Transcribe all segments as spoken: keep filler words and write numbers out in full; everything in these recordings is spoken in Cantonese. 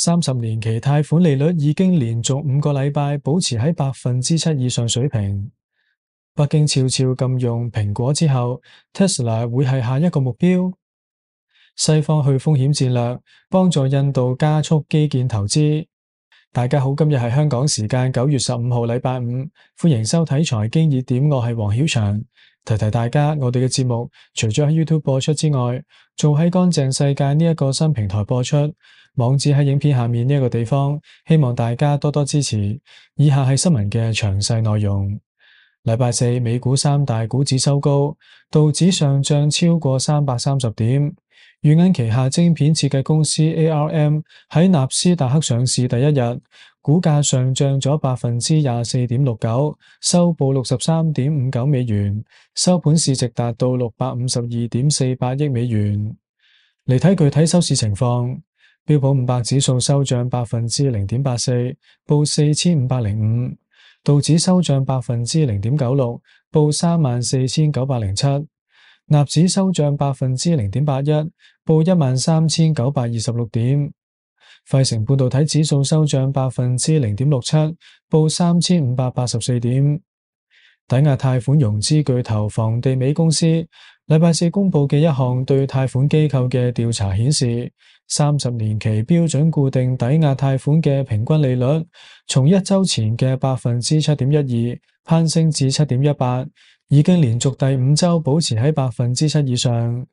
三十年期貸款利率已經連續五個禮拜保持喺百分之七以上水平。北京悄悄禁用蘋果之後 ，Tesla 會係下一個目標。西方去風險戰略幫助印度加速基建投資。大家好，今日係香港時間九月十五號禮拜五，歡迎收睇財經熱點，我係黃曉翔。提提大家，我哋嘅節目除咗喺 YouTube 播出之外，仲喺乾淨世界呢一個新平台播出，網址喺影片下面呢一個地方，希望大家多多支持。以下係新聞嘅詳細內容。禮拜四，美股三大股指收高，道指上漲超過三百三十點。軟銀旗下晶片設計公司 A R M 喺納斯達克上市第一日，股價上漲咗百分之廿四點六九，收報六十三點五九美元，收盤市值達到六百五十二點四八億美元。嚟睇具體收市情況，標普五百指數收漲百分之零點八四，報四千五百零五；道指收漲百分之零點九六，報三萬四千九百零七。納指收漲百分之零點八一，報一萬三千九百二十六點。費城半導體指數收漲百分之零點六七，報三千五百八十四點。抵押貸款融資巨頭房地美公司禮拜四公布嘅一項對貸款機構嘅調查顯示，三十年期標準固定抵押貸款嘅平均利率從一周前嘅百分之七點一二攀升至七點一八。已經連續第五周保持喺百分之七以上，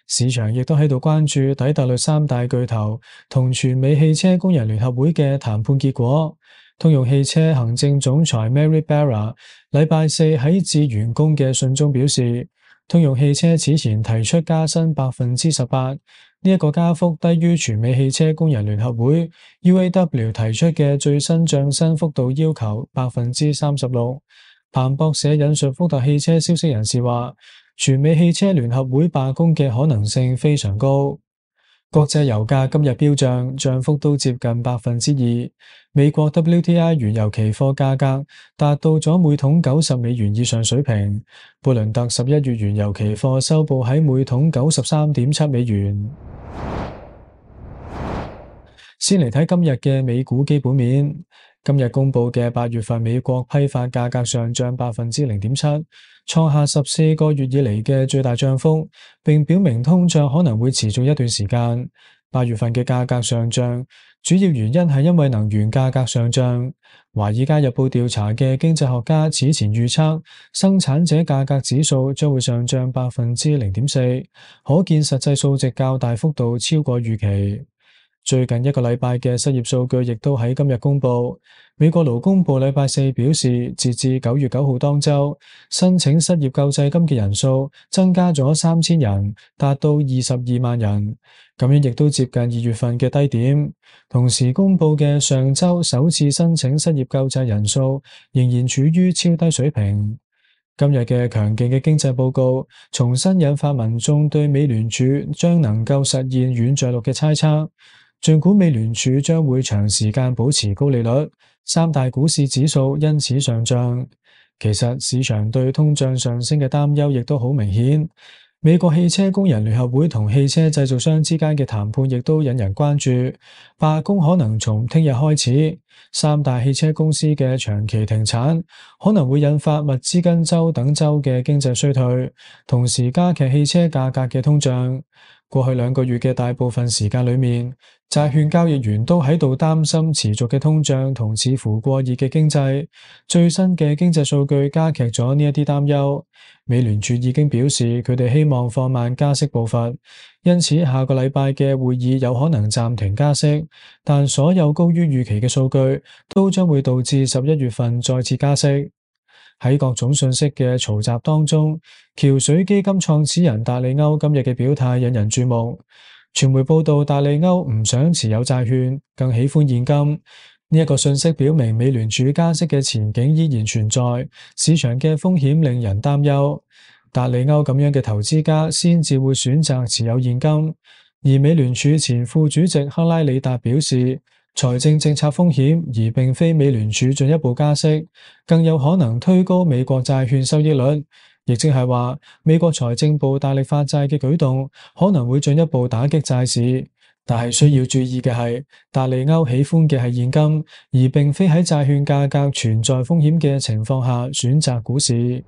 市場亦都喺度關注底特律三大巨頭同全美汽車工人聯合會嘅談判結果。通用汽車行政總裁 Mary Barra 禮拜四喺致員工嘅信中表示，通用汽車此前提出加薪百分之十八，呢一個加幅低於全美汽車工人聯合會 U A W 提出嘅最新漲薪幅度要求百分之三十六。彭博社引述福特汽車消息人士話，全美汽車聯合會罷工嘅可能性非常高。國際油價今日飆漲，漲幅都接近百分之二。美國 W T I 原油期貨價格達到咗每桶九十美元以上水平。布倫特十一月原油期貨收報喺每桶九十三點七美元。先嚟睇今日嘅美股基本面。今日公布嘅八月份美國批發價格上漲百分之零點七，創下十四個月以嚟嘅最大漲幅，並表明通脹可能會持續一段時間。八月份嘅價格上漲，主要原因係因為能源價格上漲。華爾街日報調查嘅經濟學家此前預測，生產者價格指數將會上漲百分之零點四，可見實際數值較大幅度超過預期。最近一個禮拜嘅失業數據亦都喺今日公布。美國勞工部禮拜四表示，截至九月九號當周，申請失業救濟金嘅人數增加咗三千人，達到二十二萬人，咁樣亦都接近二月份嘅低點。同時公布嘅上周首次申請失業救濟人數仍然處於超低水平。今日嘅強勁嘅經濟報告，重新引發民眾對美聯儲將能夠實現軟着陸嘅猜測。儘管美聯儲將會長時間保持高利率，三大股市指數因此上漲。其實市場對通脹上升嘅擔憂亦都好明顯。美國汽車工人聯合會同汽車製造商之間嘅談判亦都引人關注，罷工可能從聽日開始。三大汽車公司嘅長期停產，可能會引發密芝根州等州嘅經濟衰退，同時加劇汽車價格嘅通脹。過去兩個月嘅大部分時間裏面，債券交易員都喺度擔心持續嘅通脹同似乎過熱嘅經濟。最新嘅經濟數據加劇咗呢一啲擔憂。美聯儲已經表示佢哋希望放慢加息步伐，因此下個禮拜嘅會議有可能暫停加息，但所有高於預期嘅數據都將會導致十一月份再次加息。喺各種信息嘅嘈雜當中，橋水基金創始人達利歐今日嘅表態引人注目。傳媒報道，達利歐唔想持有債券，更喜歡現金。呢一個信息表明美聯儲加息嘅前景依然存在，市場嘅風險令人擔憂。達利歐咁樣嘅投資家先至會選擇持有現金，而美聯儲前副主席克拉里達表示，財政政策風險而並非美聯儲進一步加息，更有可能推高美國債券收益率，亦即係話美國財政部大力發債嘅舉動可能會進一步打擊債市，但係需要注意嘅係，達利歐喜歡嘅係現金，而並非喺債券價格存在風險嘅情況下選擇股市。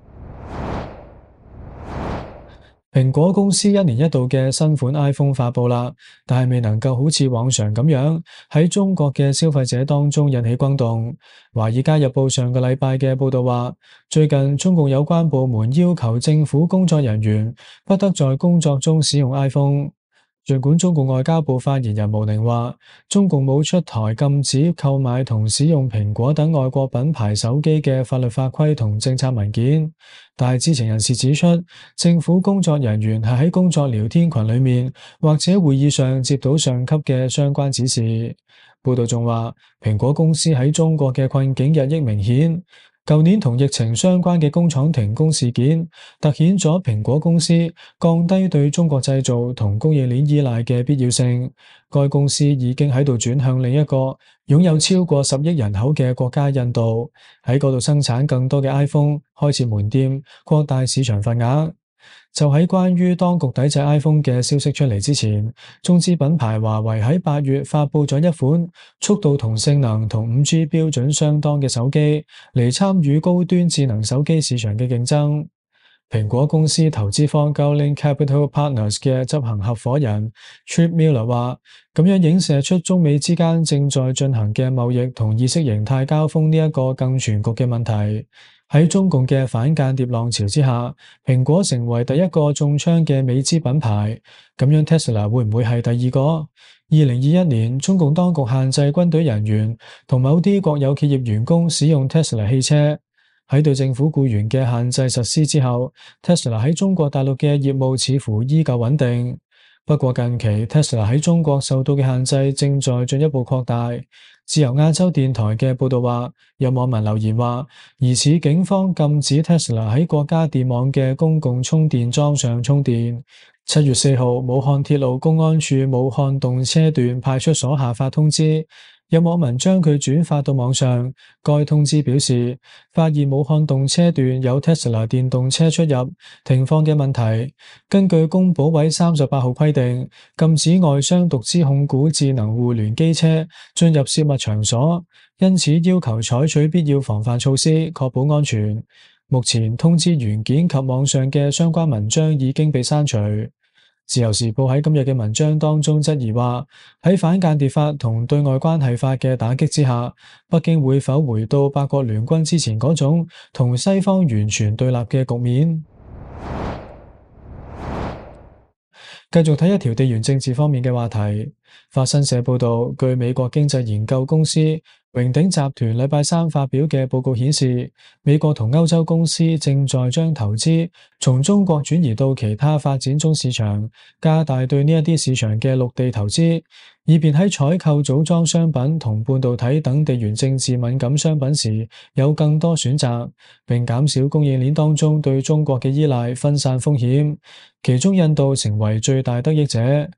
蘋果公司一年一度嘅新款 iPhone 發佈啦，但係未能夠好似往常咁樣喺中國嘅消費者當中引起轟動。華爾街日報上個禮拜嘅報道話，最近中共有關部門要求政府工作人員不得在工作中使用 iPhone。儘管中共外交部發言人毛寧話，中共冇出台禁止購買同使用蘋果等外國品牌手機嘅法律法規同政策文件，但係知情人士指出，政府工作人員係喺工作聊天群裏面或者會議上接到上級嘅相關指示。報道仲話，蘋果公司喺中國嘅困境日益明顯。舊年同疫情相關嘅工廠停工事件，凸顯咗蘋果公司降低對中國製造同供應鏈依賴嘅必要性。該公司已經喺度轉向另一個擁有超過十億人口嘅國家印度，喺嗰度生產更多嘅 iPhone，開設門店，擴大市場份額。就喺關於當局抵制 iPhone 嘅消息出嚟之前，中資品牌華為喺八月發佈咗一款速度同性能同五 G 標準相當嘅手機，嚟參與高端智能手機市場嘅競爭。蘋果公司投資方 Gowling Capital Partners 嘅執行合夥人 Trip Miller 話，咁樣影射出中美之間正在進行嘅貿易同意識形態交鋒呢一個更全局嘅問題。喺中共嘅反間諜浪潮之下，蘋果成為第一個中槍嘅美資品牌，咁樣 Tesla 會唔會係第二個？二零二一年，中共當局限制軍隊人員同某啲國有企業員工使用 Tesla 汽車。喺對政府僱員嘅限制實施之後， Tesla 喺中國大陸嘅業務似乎依舊穩定。不過近期 Tesla 喺中國受到嘅限制正在進一步擴大。自由亞洲電台嘅報道話，有網民留言話，疑似警方禁止 Tesla 喺國家電網嘅公共充電樁上充電。七月四號，武漢鐵路公安處武漢動車段派出所下發通知，有網民將佢轉發到網上。該通知表示，發現武漢動車段有 Tesla 電動車出入停放嘅問題。根據工保委三十八號規定，禁止外商獨資控股智能互聯機車進入涉密場所，因此要求採取必要防範措施，確保安全。目前通知原件及網上嘅相關文章已經被刪除。自由時報喺今日嘅文章當中質疑話，喺反間諜法同對外關係法嘅打擊之下，北京會否回到八國聯軍之前嗰種同西方完全對立嘅局面？繼續睇一條地緣政治方面嘅話題。法新社報道，據美國經濟研究公司榮鼎集團禮拜三發表嘅報告顯示，美國同歐洲公司正在將投資從中國轉移到其他發展中市場，加大對呢一啲市場嘅陸地投資，以便喺採購組裝商品同半導體等地緣政治敏感商品時有更多選擇，並減少供應鏈當中對中國嘅依賴，分散風險。其中印度成為最大得益者。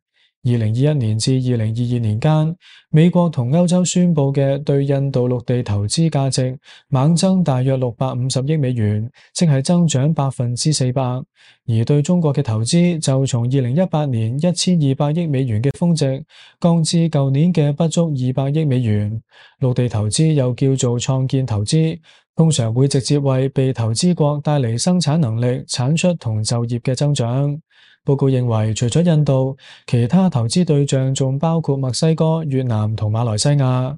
二零二一年至二零二二年間，美國同歐洲宣布嘅對印度陸地投資價值猛增大約六百五十億美元，即係增長百分之四百。而對中國嘅投資就從二零一八年一千二百億美元嘅峰值降至舊年嘅不足二百億美元。陸地投資又叫做創建投資，通常會直接為被投資國帶嚟生產能力、產出同就業嘅增長。報告認為，除咗印度，其他投資對象仲包括墨西哥、越南同馬來西亞。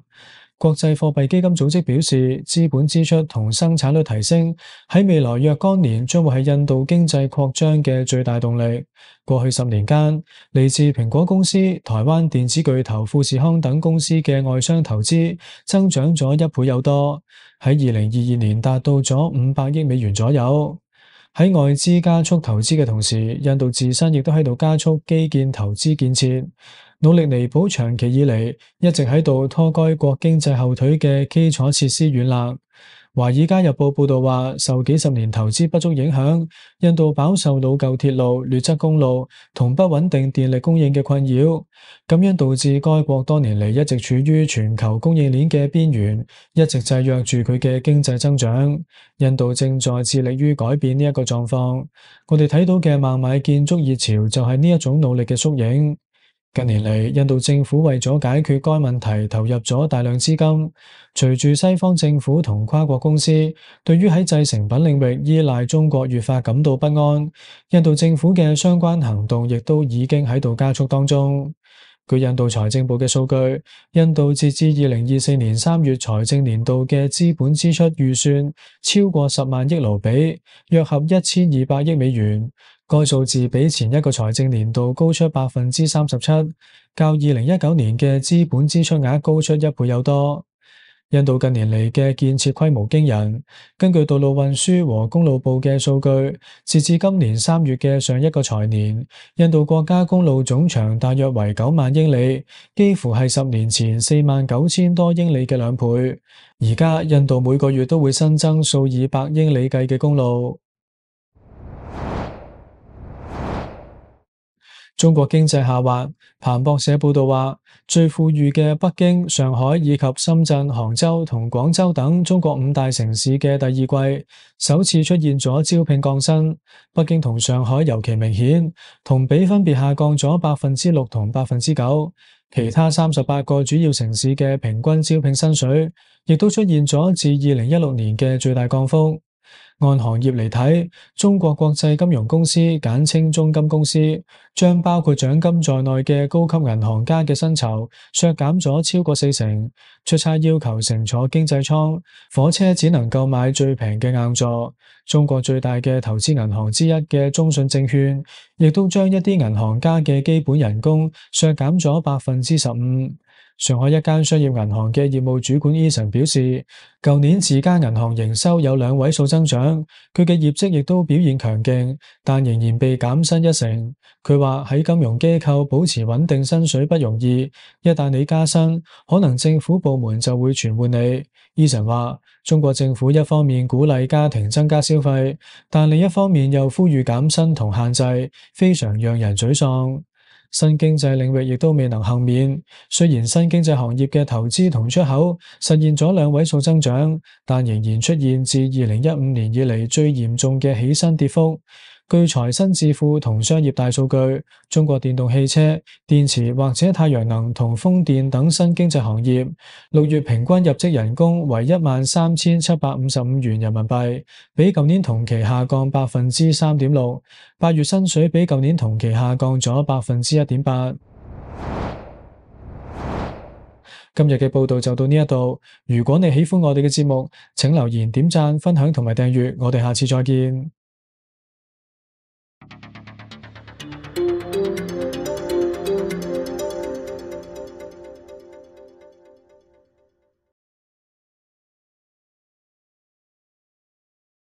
國際貨幣基金組織表示，資本支出同生產率提升喺未來若干年將會係印度經濟擴張嘅最大動力。過去十年間，嚟自蘋果公司、台灣電子巨頭富士康等公司嘅外商投資增長咗一倍有多，喺二零二二年達到咗五百億美元左右。喺外資加速投資嘅同時，印度自身亦都喺度加速基建投資建設，努力彌補長期以嚟一直喺度拖該國經濟後腿嘅基礎設施軟肋。華爾街日報報道話，受幾十年投資不足影響，印度飽受老舊鐵路、劣質公路同不穩定電力供應嘅困擾，咁樣導致該國多年嚟一直處於全球供應鏈嘅邊緣，一直制約住佢嘅經濟增長。印度正在致力於改變呢一個狀況。我哋睇到嘅孟買建築熱潮就係呢一種努力嘅縮影。近年嚟，印度政府為咗解決該問題，投入咗大量資金。隨住西方政府同跨國公司對於喺製成品領域依賴中國越發感到不安，印度政府嘅相關行動亦都已經喺度加速當中。據印度財政部嘅數據，印度截至二零二四年三月財政年度嘅資本支出預算超過十萬億盧比，約合一千二百億美元。該數字比前一個財政年度高出百分之三十七，較二零一九年嘅資本支出額高出一倍有多。印度近年嚟嘅建設規模驚人，根據道路運輸和公路部嘅數據，截至今年三月嘅上一個財年，印度國家公路總長大約為九萬英里，幾乎係十年前四萬九千多英里嘅兩倍。而家印度每個月都會新增數以百英里計嘅公路。中國經濟下滑，彭博社報道話，最富裕嘅北京、上海以及深圳、杭州同廣州等中國五大城市嘅第二季首次出現咗招聘降薪。北京同上海尤其明顯，同比分別下降咗百分之六同百分之九。其他三十八個主要城市嘅平均招聘薪水亦都出現咗自二零一六年嘅最大降幅。按行業嚟睇，中國國際金融公司簡稱中金公司，將包括獎金在內嘅高級銀行家嘅薪酬削減咗超過四成。出差要求乘坐經濟艙，火車只能夠買最平嘅硬座。中國最大嘅投資銀行之一嘅中信證券，亦都將一啲銀行家嘅基本人工削減咗百分之十五。上海一間商業銀行嘅業務主管 Eason 表示，舊年自家銀行營收有兩位數增長，佢嘅業績亦都表現強勁，但仍然被減薪一成。佢話喺金融機構保持穩定薪水不容易，一旦你加薪，可能政府部門就會傳喚你。Eason 話，中國政府一方面鼓勵家庭增加消費，但另一方面又呼籲減薪同限制，非常讓人沮喪。新經濟領域亦都未能幸免，雖然新經濟行業嘅投資同出口實現咗兩位數增長，但仍然出現自二零一五年以嚟最嚴重嘅起薪跌幅。據財新智庫同商業大數據，中國電動汽車、電池或者太陽能同風電等新經濟行業，六月平均入職人工為一萬三千七百五十五元人民幣，比舊年同期下降百分之三點六。八月薪水比舊年同期下降咗百分之一點八。今日嘅報道就到呢一度。如果你喜歡我哋嘅節目，請留言、點讚、分享同埋訂閱。我哋下次再見。